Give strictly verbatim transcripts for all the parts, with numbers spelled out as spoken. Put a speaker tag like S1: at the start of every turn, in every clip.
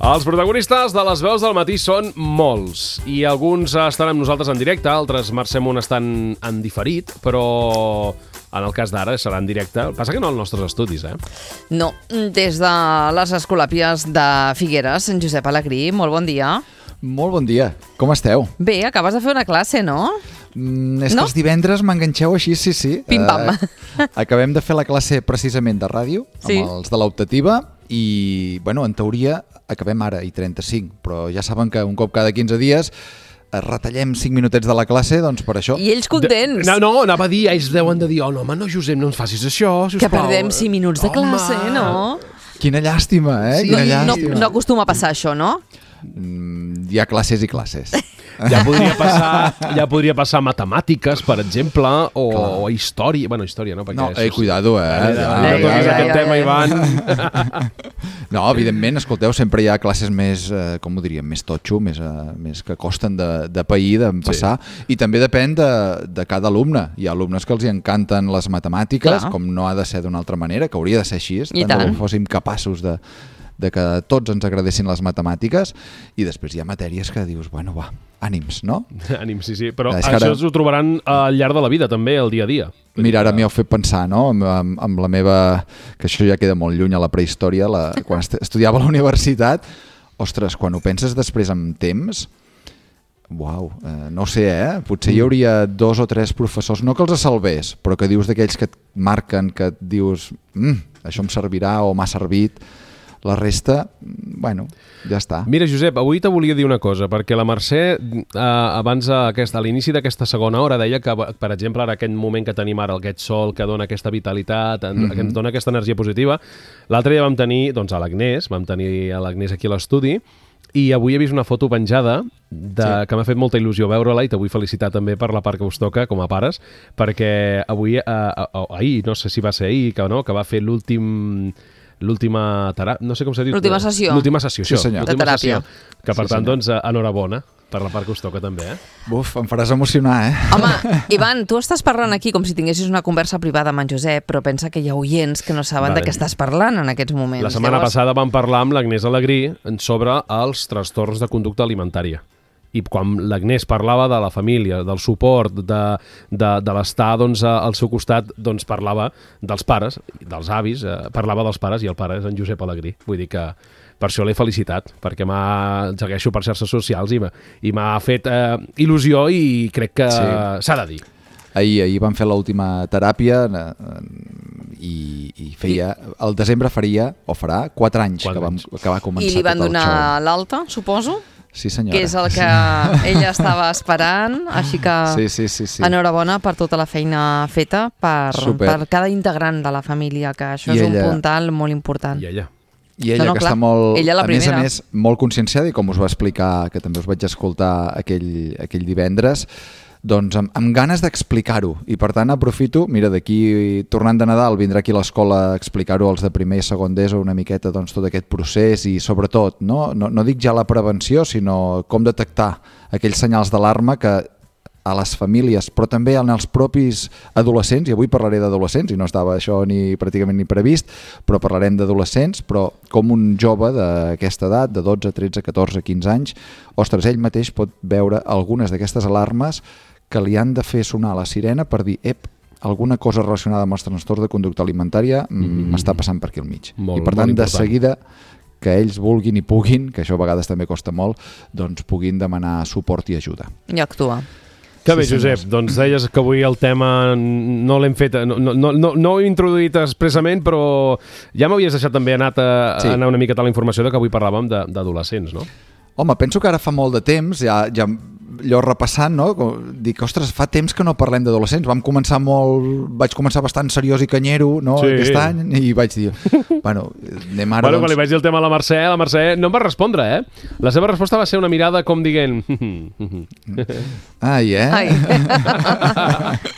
S1: Els protagonistes de les veus del matí són molts i alguns estan amb nosaltres en directe, altres, Mercè Munt, estan en diferit, però en el cas d'ara serà en directe. Passa que no als nostres estudis, eh?
S2: No, des de les Escolàpies de Figueres, en Josep Alegrí, molt bon dia.
S3: Molt bon dia, com esteu?
S2: Bé, acabes de fer una classe, no?
S3: Mm, és
S2: no?
S3: que els divendres m'enganxeu així, sí, sí.
S2: Pim-pam.
S3: Uh, acabem de fer la classe precisament de ràdio,
S2: sí.
S3: amb els de l'optativa, i, bueno, en teoria acabem ara i trenta-cinc, però ja saben que un cop cada quinze dies retallem cinc minutets de la classe, doncs per això...
S2: I ells contents.
S1: De... No, no, anava a dir, ells deuen de dir, oh, no, home, no, Josep, no ens facis això, sisplau.
S2: Que perdem cinc minuts de classe, home. No?
S3: Quina llàstima, eh?
S2: Sí.
S3: Quina
S2: no,
S3: llàstima.
S2: No, no acostuma a passar això, no?
S3: Mm, hi ha classes i classes.
S1: Ja podria passar, ja podria passar matemàtiques, per exemple, o, o història. Bueno, història, no? Perquè
S3: no,
S1: això...
S3: eh, cuidado, eh?
S1: Ja, ja,
S3: ja,
S1: ja, ja, ja, aquest tema, Ivan.
S3: No, evidentment, escolteu, sempre hi ha classes més, eh, com ho diríem, més totxo, més, eh, més que costen de, de pair, d'empassar, sí. I també depèn de, de cada alumne. Hi ha alumnes que els hi encanten les matemàtiques, clar, com no ha de ser d'una altra manera, que hauria de ser així,
S2: I tant
S3: que fóssim capaços de, de que tots ens agradessin les matemàtiques, i després hi ha matèries que dius, bueno, va, ànims, no?
S1: Ànims, sí, sí, però
S3: és
S1: això
S3: ara...
S1: ho trobaran al llarg de la vida, també, el dia a dia.
S3: Mira, ara m'hi heu fet pensar, no?, amb, amb, amb la meva... que això ja queda molt lluny a la prehistòria, la... quan estudiava a la universitat, ostres, quan ho penses després amb temps, uau, eh, no sé, eh? Potser hi hauria dos o tres professors, no que els salvés, però que dius d'aquells que et marquen, que et dius, mm, això em servirà o m'ha servit. La resta, bueno, ja està.
S1: Mira, Josep, avui te volia dir una cosa, perquè la Mercè, eh, abans a, aquest, a l'inici d'aquesta segona hora, deia que, per exemple, ara aquest moment que tenim ara, aquest sol que dona aquesta vitalitat, mm-hmm. que ens dona aquesta energia positiva, l'altre dia vam tenir doncs, a l'Agnès, vam tenir a l'Agnès aquí a l'estudi, i avui he vist una foto penjada de, sí. que m'ha fet molta il·lusió veure-la, i te vull felicitar també per la part que us toca com a pares, perquè avui, eh, eh, ahir, no sé si va ser ahir, que, no, que va fer l'últim... l'última teràpia, no sé com s'ha dit.
S2: L'última sessió.
S1: L'última sessió,
S3: sí, senyor.
S1: L'última
S2: de teràpia.
S1: Sessió, que per sí, tant, doncs, enhorabona per la part que us toca també, eh?
S3: Buf, em faràs emocionar, eh?
S2: Home, Ivan, tu estàs parlant aquí com si tinguessis una conversa privada amb en Josep, però pensa que hi ha oients que no saben vale. de què estàs parlant en aquests moments.
S1: La setmana
S2: Llavors...
S1: passada vam parlar amb l'Agnès Alegrí sobre els trastorns de conducta alimentària. I quan l'Agnès parlava de la família, del suport, de, de, de l'estar doncs, al seu costat, doncs parlava dels pares, dels avis, eh, parlava dels pares, i el pare és en Josep Alegrí. Vull dir que per això l'he felicitat, perquè m'ha segueixo per xarxes socials i m'ha, i m'ha fet eh, il·lusió, i crec que s'ha sí. de dir.
S3: Ahir, ahir vam fer l'última teràpia eh, i, i feia, el desembre faria, o farà, quatre anys,
S1: quatre
S3: que, vam,
S1: anys.
S3: que va començar
S2: I li van
S3: tot el
S2: donar
S3: show.
S2: l'alta, suposo?
S3: Sí, senyora.
S2: Que és el que ella estava esperant, així que
S3: sí, sí, sí, sí.
S2: enhorabona per tota la feina feta per, per cada integrant de la família, que això
S3: I
S2: és
S3: ella...
S2: un puntal molt important.
S1: I ella.
S3: I ella,
S2: no, no,
S3: que
S2: clar.
S3: està molt,
S2: ella la
S3: a més a
S2: primera.
S3: més, molt conscienciada, i com us va explicar, que també us vaig escoltar aquell, aquell divendres, doncs amb, amb ganes d'explicar-ho, i per tant aprofito, mira, d'aquí tornant de Nadal vindrà aquí a l'escola a explicar-ho als de primer i segon d'ESO una miqueta, doncs, tot aquest procés, i sobretot, no, no, no dic ja la prevenció, sinó com detectar aquells senyals d'alarma que a les famílies, però també en els propis adolescents, i avui parlaré d'adolescents, i no estava això ni pràcticament ni previst, però parlarem d'adolescents, però com un jove d'aquesta edat, de dotze, tretze, catorze, quinze anys, ostres, ell mateix pot veure algunes d'aquestes alarmes que li han de fer sonar la sirena per dir, ep, alguna cosa relacionada amb els trastorns de conducta alimentària m'està passant per aquí al mig.
S1: Molt,
S3: I per tant, de seguida que ells vulguin i puguin, que això a vegades també costa molt, doncs puguin demanar suport i ajuda.
S2: I actuar.
S1: Que bé,
S3: sí,
S1: Josep, doncs deies que avui el tema no l'hem fet, no, no, no, no ho he introduït expressament, però ja m'havies deixat també anat a, sí. anar una miqueta a la informació de que avui parlàvem d'adolescents, no?
S3: Home, penso que ara fa molt de temps, ja, ja allò repassant, no? Dic, ostres, fa temps que no parlem d'adolescents. Vam començar molt... Vaig començar bastant seriós i canyero, no?, sí. aquest any, i vaig dir, bueno, anem ara...
S1: Bueno,
S3: doncs...
S1: quan li vaig dir el tema a la Mercè, la Mercè no em va respondre, eh? La seva resposta va ser una mirada com dient...
S3: Ai, eh?
S2: Ai.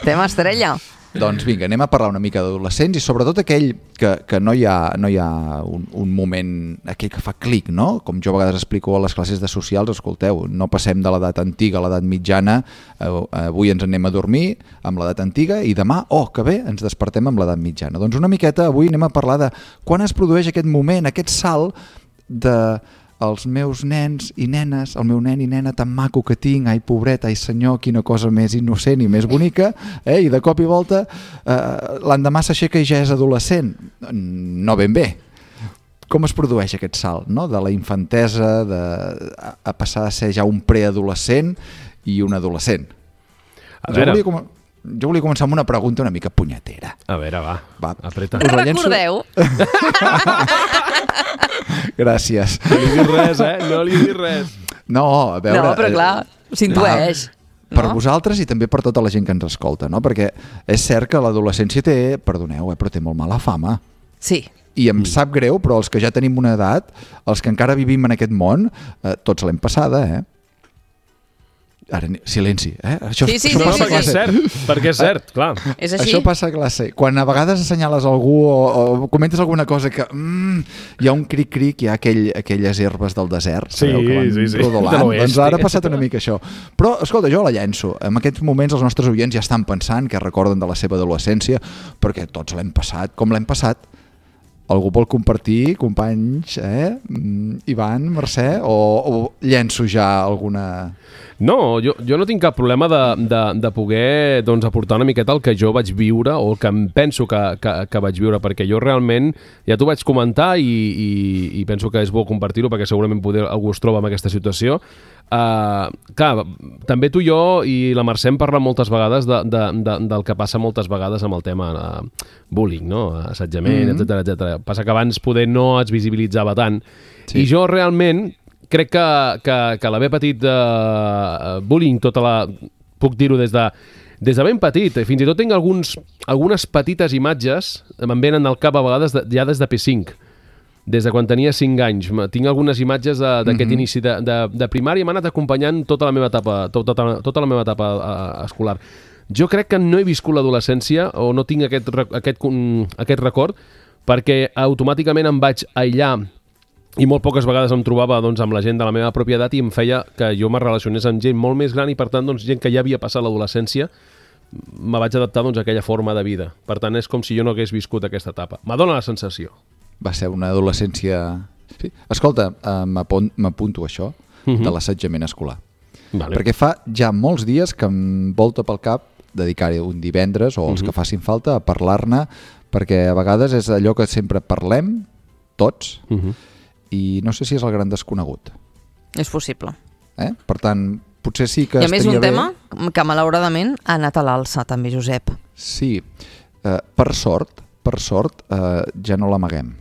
S2: Tema estrella.
S3: Doncs vinga, anem a parlar una mica d'adolescents, i sobretot aquell que, que no hi ha, no hi ha un, un moment, aquell que fa clic, no? Com jo a vegades explico a les classes de socials, escolteu, no passem de l'edat antiga a l'edat mitjana, avui ens anem a dormir amb l'edat antiga i demà, oh, que bé, ens despertem amb l'edat mitjana. Doncs una miqueta avui anem a parlar de quan es produeix aquest moment, aquest salt de els meus nens i nenes, el meu nen i nena tan maco que tinc, ai pobret, ai senyor, quina cosa més innocent i més bonica, eh? I de cop i volta eh, l'endemà s'aixeca i ja és adolescent. No ben bé. Com es produeix aquest salt, no? De la infantesa de, a, a passar a ser ja un preadolescent i un adolescent? A jo, volia com... jo volia començar amb una pregunta una mica punyetera.
S1: A veure, va,
S3: va.
S1: apreta.
S2: Us recordeu?
S3: Gràcies.
S1: No li dius res, eh? No li dius res.
S3: No, a veure...
S2: No, però clar, s'intueix.
S3: No? Per
S2: no?
S3: vosaltres i també per tota la gent que ens escolta, no? Perquè és cert que l'adolescència té, perdoneu, eh, però té molt mala fama.
S2: Sí.
S3: I em mm. sap greu, però els que ja tenim una edat, els que encara vivim en aquest món, eh, tots l'hem passada, eh? Ara, silenci, eh? Això,
S2: sí, sí,
S3: això
S2: sí,
S3: passa
S2: sí,
S3: a classe.
S1: És cert, perquè és cert, clar.
S2: És així?
S3: Això passa a classe. Quan a vegades assenyales algú o, o comentes alguna cosa que mm, hi ha un cric-cric, hi ha aquell, aquelles herbes del desert,
S1: sí,
S3: sabeu, que van
S1: sí, sí.
S3: rodolant. Doncs ara ha passat una mica això. Però, escolta, jo la llenço. En aquests moments els nostres oients ja estan pensant que recorden de la seva adolescència, perquè tots l'hem passat. Com l'hem passat? Algú vol compartir, companys, eh? Ivan, Mercè, o, o llenço ja alguna...
S1: No, jo, jo no tinc cap problema de, de, de poder doncs, aportar una miqueta el que jo vaig viure o el que em penso que, que, que vaig viure, perquè jo realment, ja t'ho vaig comentar i, i, i penso que és bo compartir-ho perquè segurament poder, algú es troba en aquesta situació. Uh, clar, també tu i jo i la Mercè hem parlat moltes vegades de, de, de, del que passa moltes vegades amb el tema uh, bullying, no? Assetjament, mm-hmm. etcètera, etcètera. Passa que abans poder no es visibilitzava tant. Sí. I jo realment crec que, que, que l'haver patit uh, bullying tota la... puc dir-ho des de, des de ben petit. Fins i tot tinc alguns, algunes petites imatges, me'n venen al cap a vegades de, ja des de P cinc, des de quan tenia cinc anys. Tinc algunes imatges d'aquest mm-hmm. inici de, de, de primària, m'ha anat acompanyant tota la meva etapa, tota, tota la meva etapa uh, escolar. Jo crec que no he viscut l'adolescència o no tinc aquest, aquest, aquest record perquè automàticament em vaig aïllar i molt poques vegades em trobava doncs, amb la gent de la meva pròpia edat i em feia que jo me relacionés amb gent molt més gran i per tant doncs, gent que ja havia passat l'adolescència me vaig adaptar doncs, a aquella forma de vida. Per tant és com si jo no hagués viscut aquesta etapa. M'adona la sensació.
S3: Va ser una adolescència... Sí. Escolta, uh, m'apunto això uh-huh. de l'assetjament escolar. Vale. Perquè fa ja molts dies que em volta pel cap dedicar-hi un divendres o els uh-huh. que facin falta a parlar-ne, perquè a vegades és allò que sempre parlem tots uh-huh. i no sé si és el gran desconegut.
S2: És possible.
S3: Eh? Per tant, potser sí que
S2: I a més un
S3: bé...
S2: tema que malauradament ha anat a l'alça també, Josep.
S3: Sí, uh, per sort, per sort uh, ja no l'amaguem.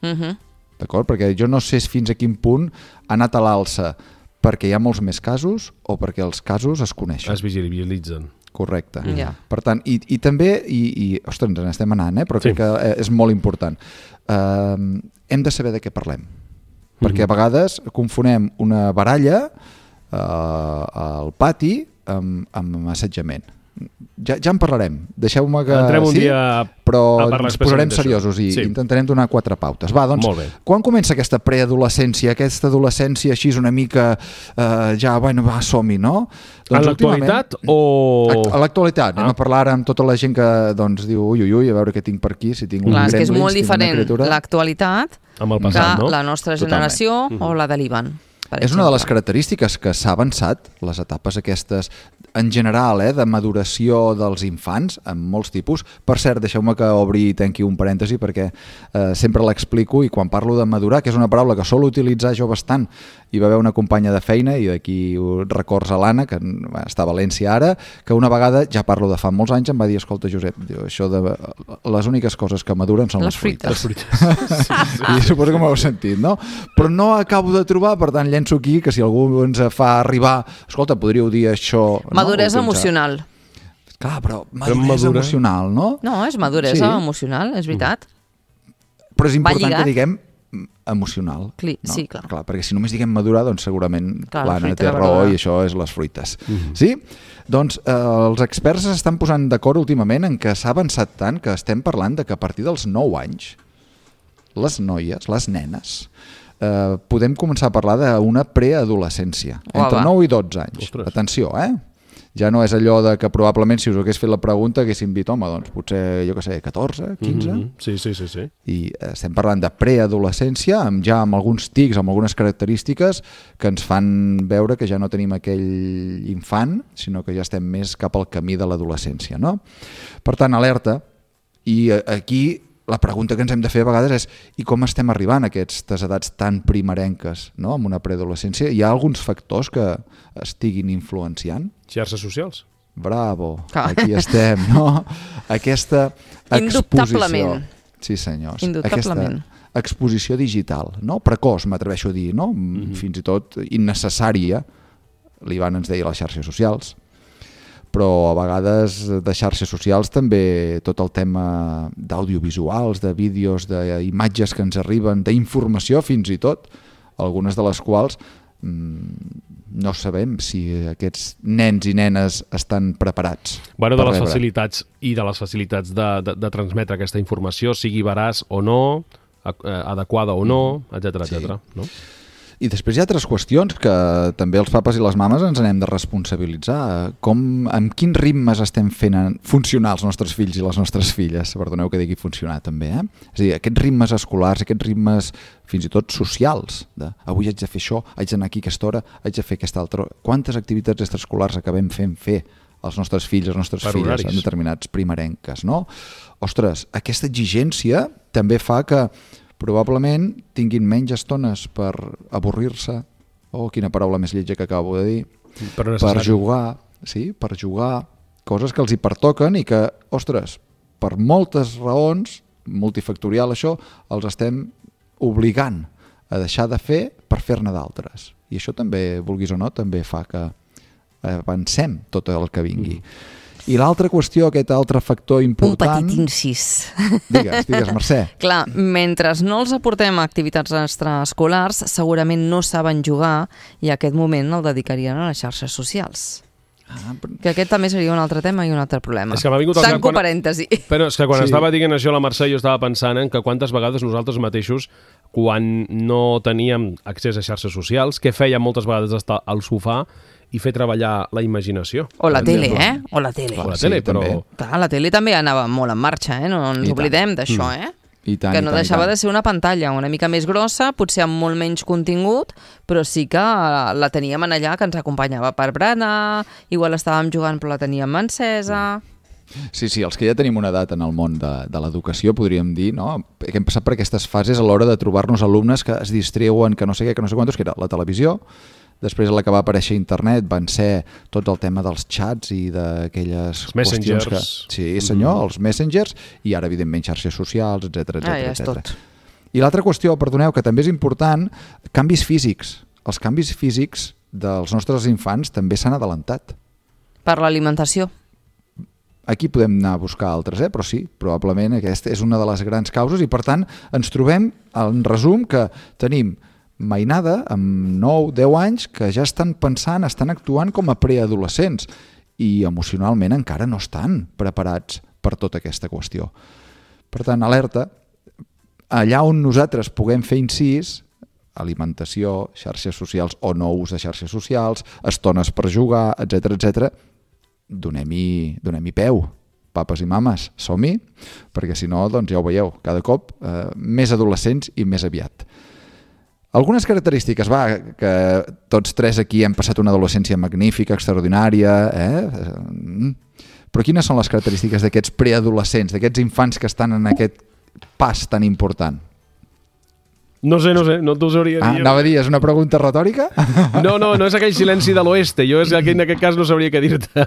S3: Uh-huh. D'acord? Perquè jo no sé fins a quin punt ha anat a l'alça perquè hi ha molts més casos o perquè els casos es coneixen.
S1: Es visibilitzen.
S3: Correcte.
S2: Mm. Yeah.
S3: Per tant, i, i també, i, i ostres, ens n'estem anant, eh? Però sí. crec que és molt important. Uh, hem de saber de què parlem. Mm-hmm. Perquè a vegades confonem una baralla uh, al pati amb, amb assetjament. Ja, ja en parlarem. Deixeu-me que...
S1: Entrem un
S3: sí,
S1: dia
S3: però
S1: a parlar
S3: ens posarem seriosos i sí. intentarem donar quatre pautes. Va, doncs, quan comença aquesta preadolescència, aquesta adolescència així una mica eh, ja, bueno, va, som-hi, no? Doncs,
S1: en l'actualitat o...
S3: A l'actualitat. Anem ah. a parlar amb tota la gent que doncs, diu ui, ui, ui, a veure què tinc per aquí, si tinc un
S2: Clar,
S3: gremlins,
S2: és que és molt diferent l'actualitat
S1: amb el passat,
S2: que
S1: no?
S2: la nostra generació Totalment. O la de l'Ivan.
S3: És una de les característiques que s'ha avançat, les etapes aquestes, en general, eh, de maduració dels infants, en molts tipus. Per cert, deixeu-me que obri i tanqui un parèntesi perquè eh, sempre l'explico i quan parlo de madurar, que és una paraula que sol utilitzar jo bastant, hi va haver una companya de feina, i d'aquí records a l'Anna, que està a València ara, que una vegada, ja parlo de fa molts anys, em va dir, escolta, Josep, això de les úniques coses que maduren són les, les fruites. Les fruites. Sí, sí. I suposo que m'heu sentit, no? Però no acabo de trobar, per tant, llenço aquí, que si algú ens fa arribar, escolta, podríeu dir això...
S2: Maduresa no? emocional.
S3: Clar, però maduresa però emocional, no?
S2: No, és maduresa sí. emocional, és veritat.
S3: Però és important que diguem emocional.
S2: Cli
S3: no?
S2: Sí, clar.
S3: clar. Perquè si només diguem madurar, doncs segurament
S2: clar,
S3: l'Anna té raó i això és les fruites. Mm-hmm. Sí? Doncs eh, els experts s'estan posant d'acord últimament en que s'ha avançat tant que estem parlant de que a partir dels nou anys les noies, les nenes, eh, podem començar a parlar d'una preadolescència. Entre nou i dotze anys. Ostres. Atenció, eh? Ja no és allò de que probablement si us hagués fet la pregunta haguéssim dit, home, doncs potser, jo què sé, catorze, quinze...
S1: Mm-hmm. Sí, sí, sí, sí.
S3: I estem parlant de preadolescència, amb ja amb alguns tics, amb algunes característiques que ens fan veure que ja no tenim aquell infant, sinó que ja estem més cap al camí de l'adolescència, no? Per tant, alerta. I aquí la pregunta que ens hem de fer a vegades és i com estem arribant a aquestes edats tan primerenques, no? Amb una preadolescència? Hi ha alguns factors que estiguin influenciant?
S1: Xarxes socials.
S3: Bravo, aquí estem, no? Aquesta exposició.
S2: Indubtablement.
S3: Sí, senyors.
S2: Indubtablement.
S3: Aquesta exposició digital, no? Precoç, m'atreveixo a dir, no? Mm-hmm. Fins i tot innecessària. L'Ivan ens deia les xarxes socials. Però a vegades de xarxes socials també tot el tema d'audiovisuals, de vídeos, d'imatges que ens arriben, d'informació fins i tot, algunes de les quals mmm, no sabem si aquests nens i nenes estan preparats.
S1: Bueno, de
S3: per
S1: les
S3: rebre.
S1: facilitats i de les facilitats de, de, de transmetre aquesta informació, sigui veraç o no, adequada o no, etcètera,
S3: Sí.
S1: etcètera. No?
S3: I després hi ha altres qüestions que també els papes i les mames ens n'hem de responsabilitzar. Com, amb quins ritmes estem fent funcionar els nostres fills i les nostres filles? Perdoneu que digui funcionar també, eh? És a dir, aquests ritmes escolars, aquests ritmes fins i tot socials, de avui haig de fer això, haig d'anar aquí aquesta hora, haig de fer aquesta altra hora. Quantes activitats extraescolars acabem fent fer als nostres fills, les nostres
S1: Per
S3: filles
S1: horaris.
S3: en determinats primerenques, no? Ostres, aquesta exigència també fa que probablement tinguin menys estones per avorrir-se, oh, quina paraula més lletja que acabo de dir,
S1: Però
S3: per jugar, sí, per jugar, coses que els hi pertoquen i que, ostres, per moltes raons, multifactorial això, els estem obligant a deixar de fer per fer-ne d'altres. I això també, vulguis o no, també fa que avancem tot el que vingui. Mm. I l'altra qüestió, aquest altre factor important...
S2: Un petit incís.
S3: Digues, digues, Mercè.
S2: Clar, mentre no els aportem a activitats extraescolars, segurament no saben jugar i aquest moment el dedicarien a les xarxes socials.
S3: Ah, però...
S2: Que aquest també seria un altre tema i un altre problema.
S1: És que m'ha vingut al cap
S2: Tanco
S1: quan-
S2: parèntesi.
S1: Però és que quan
S3: Sí.
S1: sí. estava dient això la Mercè, jo estava pensant en que quantes vegades nosaltres mateixos, quan no teníem accés a xarxes socials, què fèiem moltes vegades estar al sofà i fer treballar la imaginació.
S2: O la
S1: Per
S2: tele,
S1: exemple.
S2: eh? O la tele.
S1: O la
S3: Sí,
S1: tele, però...
S3: també.
S2: Clar, la tele també anava molt en marxa, eh? No ens
S3: I tant.
S2: oblidem d'això, eh?
S3: I tant,
S2: que
S3: i
S2: no
S3: tant, i
S2: deixava
S3: tant.
S2: de ser una pantalla una mica més grossa, potser amb molt menys contingut, però sí que la teníem en allà, que ens acompanyava per berenar, igual estàvem jugant però la teníem encesa...
S3: Sí, sí, els que ja tenim una edat en el món de, de l'educació, podríem dir, no? Que hem passat per aquestes fases a l'hora de trobar-nos alumnes que es distreuen, que no sé què, que no sé quantos, que era la televisió, després a la que va aparèixer internet van ser tot el tema dels xats i d'aquelles
S1: Els messengers.
S3: qüestions que... Sí, senyor, mm-hmm. els messengers, i ara, evidentment, xarxes socials, etcètera,
S2: Ah, ja és
S3: etcètera.
S2: tot.
S3: I l'altra qüestió, perdoneu, que també és important, canvis físics. Els canvis físics dels nostres infants també s'han adelantat.
S2: Per l'alimentació.
S3: Aquí podem anar a buscar altres, eh? Però sí, probablement aquesta és una de les grans causes i, per tant, ens trobem, en resum, que tenim mainada amb nou deu anys que ja estan pensant, estan actuant com a preadolescents i emocionalment encara no estan preparats per tota aquesta qüestió. Per tant, alerta, allà on nosaltres puguem fer incís, alimentació, xarxes socials o no ús de xarxes socials, estones per jugar, etcètera, etcètera, donem-hi donem-hi peu, papes i mames, som-hi, perquè si no, doncs ja ho veieu, cada cop eh, més adolescents i més aviat. Algunes característiques, va, que tots tres aquí hem passat una adolescència magnífica, extraordinària, eh? Però quines són les característiques d'aquests preadolescents, d'aquests infants que estan en aquest pas tan important?
S1: No sé, no sé, no t'ho sabria
S3: Ah,
S1: dir.
S3: anava a dir, és una pregunta retòrica?
S1: No, no, no és aquell silenci de l'oeste. Jo és aquell, en aquest cas no sabria què dir-te.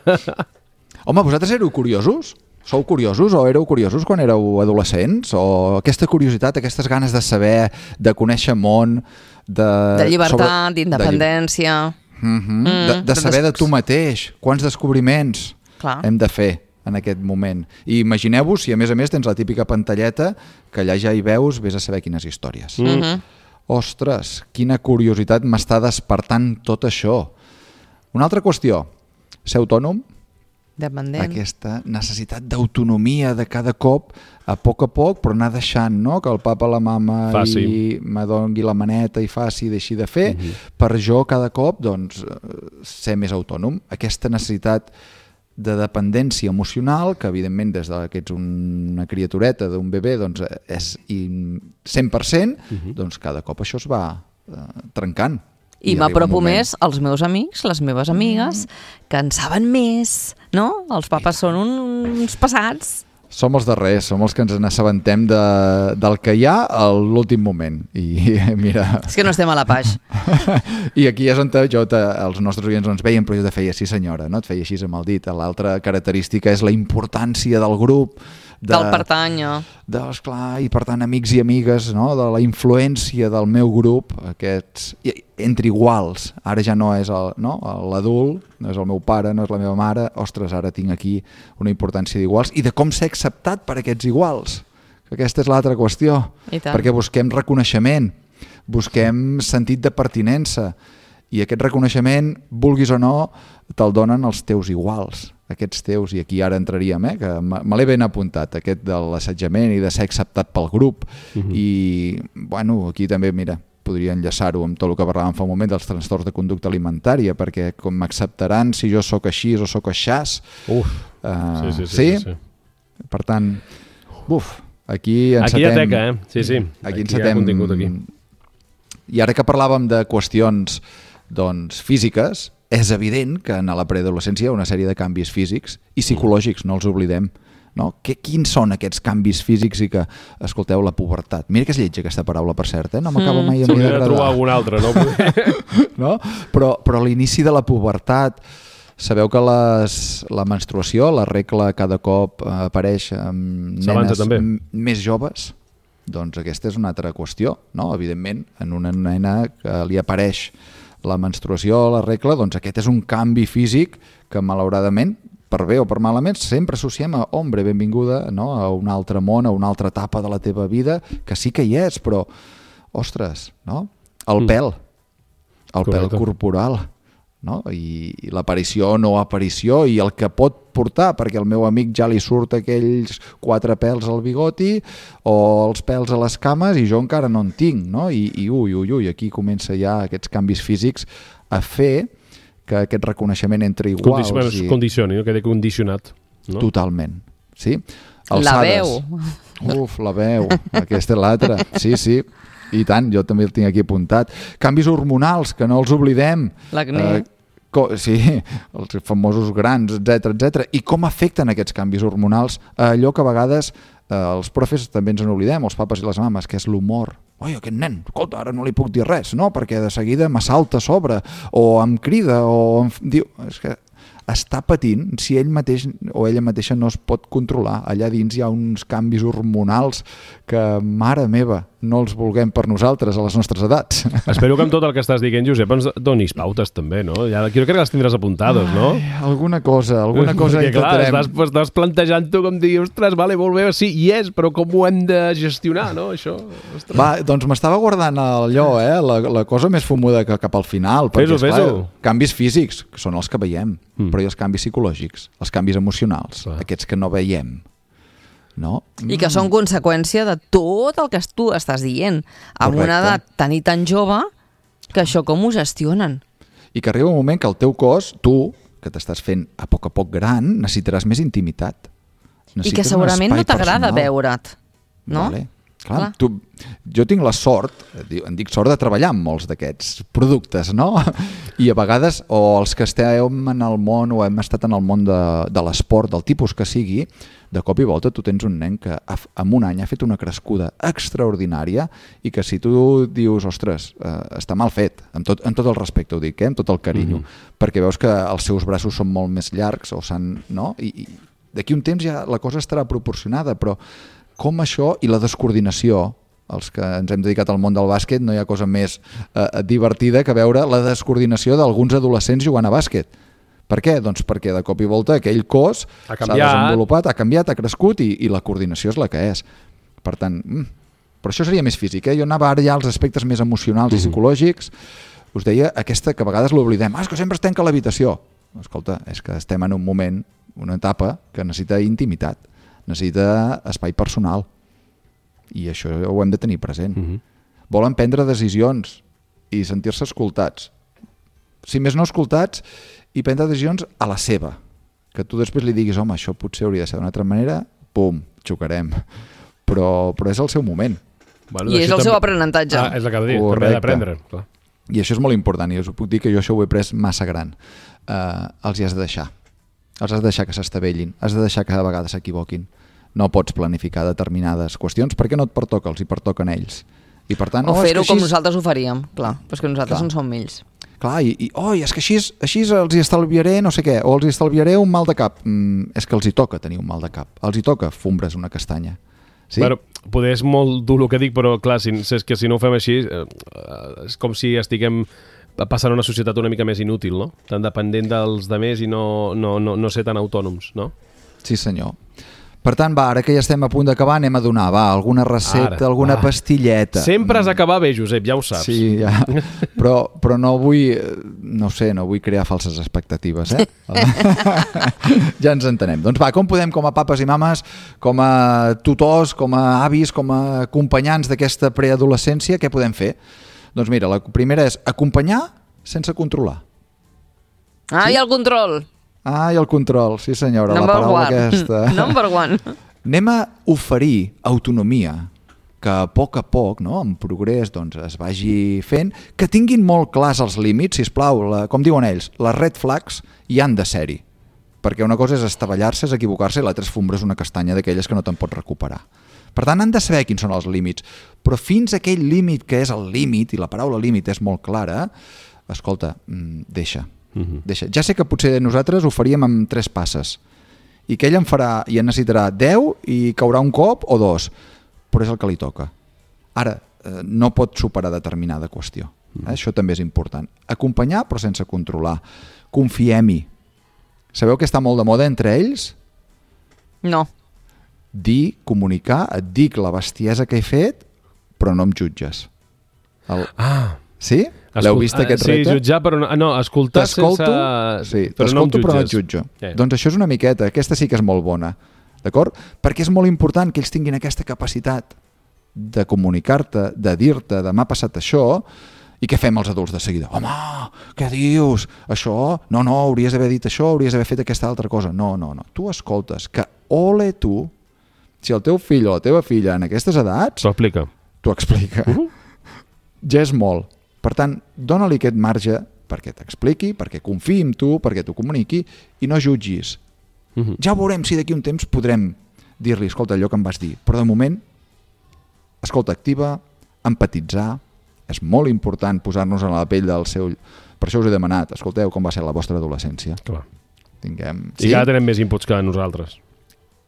S3: Home, vosaltres éreu curiosos? Sou curiosos o éreu curiosos quan éreu adolescents? O aquesta curiositat, aquestes ganes de saber, de conèixer món, de...
S2: De llibertat,
S3: sobre-
S2: d'independència...
S3: De, mm -hmm.
S2: Mm,
S3: de, de
S2: de
S3: saber de
S2: des-
S3: tu mateix, quants descobriments
S2: Clar.
S3: hem de fer en aquest moment. I imagineu-vos si a més a més tens la típica pantalleta que allà ja hi veus, vés a saber quines històries.
S2: Mm -hmm.
S3: Ostres, quina curiositat m'està despertant tot això. Una altra qüestió, ser autònom,
S2: Dependent.
S3: Aquesta necessitat d'autonomia de cada cop, a poc a poc, però anar deixant, no?, que el papa, la mama
S1: faci.
S3: i me dongui la maneta i faci i deixi de fer,
S1: Uh-huh.
S3: per jo cada cop doncs, ser més autònom. Aquesta necessitat de dependència emocional, que evidentment des de que ets una criatureta d'un bebè doncs, és cent per cent, uh-huh. doncs cada cop això es va eh, trencant.
S2: I m'apropo més als meus amics, les meves amigues, que en saben més, no? Els papes són uns passats.
S3: Som els darrers, som els que ens n'assabentem de, del que hi ha a l'últim moment. I mira...
S2: És que no estem a la page.
S3: I aquí és on jo, te, els nostres oients no ens veien, però jo te feia, sí senyora, no? Et feia així amb el dit. L'altra característica és la importància del grup, de,
S2: Del pertanya.
S3: De, esclar, i per tant amics i amigues, no? De la influència del meu grup, aquests, entre iguals. Ara ja no és el, no? l'adult, no és el meu pare, no és la meva mare. Ostres, ara tinc aquí una importància d'iguals i de com ser acceptat per aquests iguals. Aquesta és l'altra qüestió. Perquè busquem reconeixement, busquem sentit de pertinença i aquest reconeixement, vulguis o no, te'l donen els teus iguals, aquests teus, i aquí ara entraríem, eh, que me l'he ben apuntat, aquest de l'assetjament i de ser acceptat pel grup. Uh-huh. I, bueno, aquí també, mira, podria enllaçar-ho amb tot el que parlàvem fa un moment dels trastorns de conducta alimentària, perquè com m'acceptaran si jo sóc així o sóc aixàs.
S1: Uf,
S3: uh,
S1: sí, sí, sí,
S3: sí?
S1: sí, sí.
S3: Per tant, uf, aquí encetem...
S1: Aquí hi ha teca, eh? Sí, sí.
S3: Aquí,
S1: aquí
S3: encetem...
S1: hi ha contingut aquí.
S3: I ara que parlàvem de qüestions doncs, físiques, és evident que en la preadolescència hi ha una sèrie de canvis físics i psicològics, no els oblidem. No? Que, quins són aquests canvis físics i que, escolteu, la pubertat. Mira que és lletja aquesta paraula, per cert, eh? No m'acaba mai a mi d'agradar.
S1: S'hauria de trobar algun altre, no?
S3: no? Però, però a l'inici de la pubertat, sabeu que les, la menstruació, la regla cada cop apareix amb nenes
S1: també.
S3: més joves? Doncs aquesta és una altra qüestió, no? Evidentment, en una nena que li apareix la menstruació, la regla, doncs aquest és un canvi físic que malauradament, per bé o per malament, sempre associem a hombre, benvinguda, no? A un altre món, a una altra etapa de la teva vida, que sí que hi és, però, ostres, no? El pèl, el pèl corporal, no? I, i l'aparició o no aparició i el que pot portar, perquè al meu amic ja li surt aquells quatre pèls al bigoti o els pèls a les cames i jo encara no en tinc, no? I, i ui, ui, ui, aquí comença ja aquests canvis físics a fer que aquest reconeixement entre iguals...
S1: Condici i... Condicioni, no? Quedi condicionat. No?
S3: Totalment, sí.
S2: Alçades. La veu.
S3: Uf, la veu, aquesta és l'altra, sí, sí. I tant, jo també el tinc aquí apuntat. Canvis hormonals, que no els oblidem.
S2: L'acné. Eh,
S3: sí, els famosos grans, etcètera, etcètera. I com afecten aquests canvis hormonals a allò que a vegades eh, els profes també ens en oblidem, els papes i les mames, que és l'humor. Oi, aquest nen, escolta, ara no li puc dir res, no? Perquè de seguida m'assalta a sobre, o em crida, o em diu... És que està patint si ell mateix o ella mateixa no es pot controlar. Allà dins hi ha uns canvis hormonals que, mare meva, no els vulguem per nosaltres a les nostres edats.
S1: Espero que amb tot el que estàs dient, Josep, ens donis pautes també, no? Ja, jo crec que les tindràs apuntades, no?
S3: Ai, alguna cosa, alguna cosa
S1: Perquè,
S3: intentarem.
S1: Clar, estàs, estàs plantejant-ho com dir, ostres, vale, molt bé, sí, hi és, però com ho hem de gestionar, no, això? Ostres.
S3: Va, doncs m'estava guardant allò, eh, la, la cosa més fumuda que cap al final, perquè,
S1: fes-ho,
S3: esclar, canvis físics, que són els que veiem, mm. però hi ha els canvis psicològics, els canvis emocionals, ah. aquests que no veiem. No?
S2: I que són conseqüència de tot el que tu estàs dient. Amb una edat tan i tan jove, que això com ho gestionen?
S3: I que arriba un moment que el teu cos, tu, que t'estàs fent a poc a poc gran, necessitaràs més intimitat. Necessites
S2: I que segurament no t'agrada veure't, no?
S3: Vale. Clar, Clar. Tu, jo tinc la sort, en dic sort de treballar amb molts d'aquests productes, no? I a vegades, o els que estem en el món o hem estat en el món de, de l'esport, del tipus que sigui, de cop i volta tu tens un nen que en un any ha fet una crescuda extraordinària i que si tu dius, ostres, eh, està mal fet, amb tot, amb tot el respecte ho dic, eh, amb tot el carinyo, mm-hmm. perquè veus que els seus braços són molt més llargs o s'han, no? I, i d'aquí un temps ja la cosa estarà proporcionada, però com això i la descoordinació, els que ens hem dedicat al món del bàsquet, no hi ha cosa més eh, divertida que veure la descoordinació d'alguns adolescents jugant a bàsquet. Per què? Doncs perquè de cop i volta aquell cos s'ha desenvolupat, ha canviat, ha crescut i, i la coordinació és la que és. Per tant, mm, però això seria més físic, eh? Jo anava ara ja als aspectes més emocionals mm-hmm. i psicològics. Us deia aquesta que a vegades l'oblidem, ah, és que sempre es tanca l'habitació. escolta, és que estem en un moment, una etapa que necessita intimitat, necessita espai personal, i això ho hem de tenir present. Uh-huh. Volen prendre decisions i sentir-se escoltats. Si més no escoltats, i prendre decisions a la seva, que tu després li diguis, home, això potser hauria de ser d'una altra manera, pum, xocarem. Però, però és el seu moment.
S2: Bueno, I és el també... seu aprenentatge.
S1: Ah, és el que ha de dir, també ha d'aprendre. Clar.
S3: I això és molt important, i us puc dir que jo això ho he pres massa gran. Uh, els hi has de deixar. Els has de deixar que s'estavellin, has de deixar que a vegades s'equivoquin. No pots planificar determinades qüestions perquè no et pertoca, els hi pertoquen ells. I per tant,
S2: o
S3: oh,
S2: fer-ho
S3: així...
S2: com nosaltres ho faríem, clar, però és que nosaltres clar. En som ells.
S3: Clar, i, i oh, és que així, així els hi estalviaré no sé què, o els hi estalviaré un mal de cap. Mm, és que els hi toca tenir un mal de cap, els hi toca fumbres una castanya. Sí?
S1: Bueno, poder és molt dur el que dic, però clar, si, és que si no ho fem així, eh, és com si estiguem passant una societat una mica més inútil, no? Tan dependent dels demés i no, no, no, no ser tan autònoms, no?
S3: Sí, senyor. Per tant, va, ara que ja estem a punt d'acabar, anem a donar, va, alguna recepta, ara, alguna va. pastilleta.
S1: Sempre has d'acabar bé, Josep, ja ho saps.
S3: Sí, ja. Però, però no vull, no sé, no vull crear falses expectatives, eh? Ja ens entenem. Doncs va, com podem, com a papes i mames, com a tutors, com a avis, com a acompanyants d'aquesta preadolescència, què podem fer? Doncs mira, la primera és acompanyar sense controlar.
S2: Ah, sí? I el control.
S3: Ah, i el control, sí senyora,
S2: Number
S3: la paraula
S2: one.
S3: aquesta.
S2: Number one.
S3: Anem a oferir autonomia que a poc a poc, no, en progrés, doncs, es vagi fent, que tinguin molt clars els límits, sisplau, la, com diuen ells, les red flags hi han de ser-hi, perquè una cosa és estavellar-se, és equivocar-se, i l'altra és fumbres una castanya d'aquelles que no te'n pots recuperar. Per tant, han de saber quins són els límits, però fins a aquell límit que és el límit, i la paraula límit és molt clara, escolta, deixa. Uh-huh. Deixa. Ja sé que potser nosaltres ho faríem amb tres passes i que ell en farà i en necessitarà deu i caurà un cop o dos, però és el que li toca. Ara, eh, no pot superar determinada qüestió. Uh-huh. Eh? Això també és important. Acompanyar però sense controlar. Confiem-hi. Sabeu que està molt de moda entre ells?
S2: No.
S3: Dir, comunicar, et dic la bestiesa que he fet, però no em jutges. El...
S1: Ah.
S3: Sí? L'heu vist aquest
S1: sí,
S3: repte?
S1: Sí, jutjar, però no, no escoltar sense...
S3: Sí,
S1: però no em jutges.
S3: Però no et jutjo. Yeah. Doncs això és una miqueta, aquesta sí que és molt bona, d'acord? Perquè és molt important que ells tinguin aquesta capacitat de comunicar-te, de dir-te, de m'ha passat això, i què fem els adults de seguida? Home, què dius? Això? No, no, hauries d'haver dit això, hauries d'haver fet aquesta altra cosa. No, no, no. Tu escoltes que ole tu, si el teu fill o la teva filla en aquestes edats...
S1: T'ho explica.
S3: T'ho explica. Uh-huh. Ja és molt. Per tant, dóna-li aquest marge perquè t'expliqui, perquè confiï en tu, perquè t'ho comuniqui i no jutgis. Uh-huh. Ja veurem si d'aquí un temps podrem dir-li, escolta, allò que em vas dir. Però de moment, escolta activa, empatitzar, és molt important posar-nos en la pell del seu... Per això us he demanat, escolteu com va ser la vostra adolescència.
S1: Clar.
S3: Tinguem...
S1: I sí? Ja tenem més inputs que nosaltres.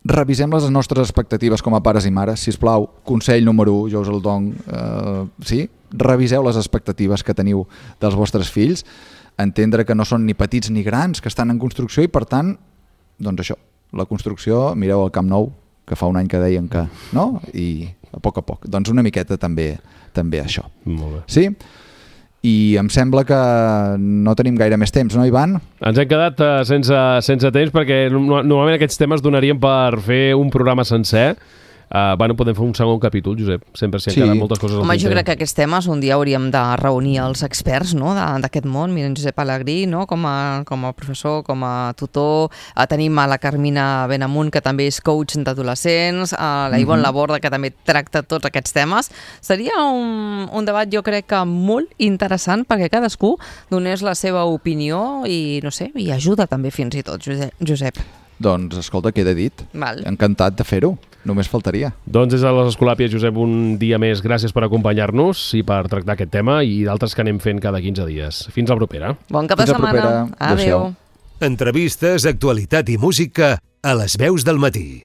S3: Revisem les nostres expectatives com a pares i mares, sisplau, consell número u, jo us el dono, eh, sí? Reviseu les expectatives que teniu dels vostres fills, entendre que no són ni petits ni grans, que estan en construcció i per tant, doncs això, la construcció, mireu el Camp Nou, que fa un any que deien que, no? I a poc a poc, doncs una miqueta també, també això.
S1: Molt bé.
S3: Sí? I em sembla que no tenim gaire més temps, no, Ivan?
S1: Ens hem quedat uh, sense, sense temps perquè normalment aquests temes donarien per fer un programa sencer. Uh, bueno, podem fer un segon capítol, Josep. Sempre s'hi han sí. quedat moltes coses.
S2: Home, jo crec que aquests temes un dia hauríem de reunir els experts, no?, d'aquest món. Miren, Josep Alegrí, no?, com a, com a professor, com a tutor. Uh, tenim a la Carmina Benamunt, que també és coach d'adolescents, a la Ivonne mm-hmm. Laborda, que també tracta tots aquests temes. Seria un, un debat, jo crec que molt interessant, perquè cadascú donés la seva opinió i, no sé, i ajuda també fins i tot, Josep.
S3: Doncs, escolta, queda dit.
S2: Val.
S3: Encantat de fer-ho. Només faltaria.
S1: Doncs des de les Escolàpies, Josep, un dia més. Gràcies per acompanyar-nos i per tractar aquest tema i d'altres que anem fent cada quinze dies. Fins la propera.
S2: Bon cap de setmana. Adéu.
S4: Entrevistes, actualitat i música a les veus del matí.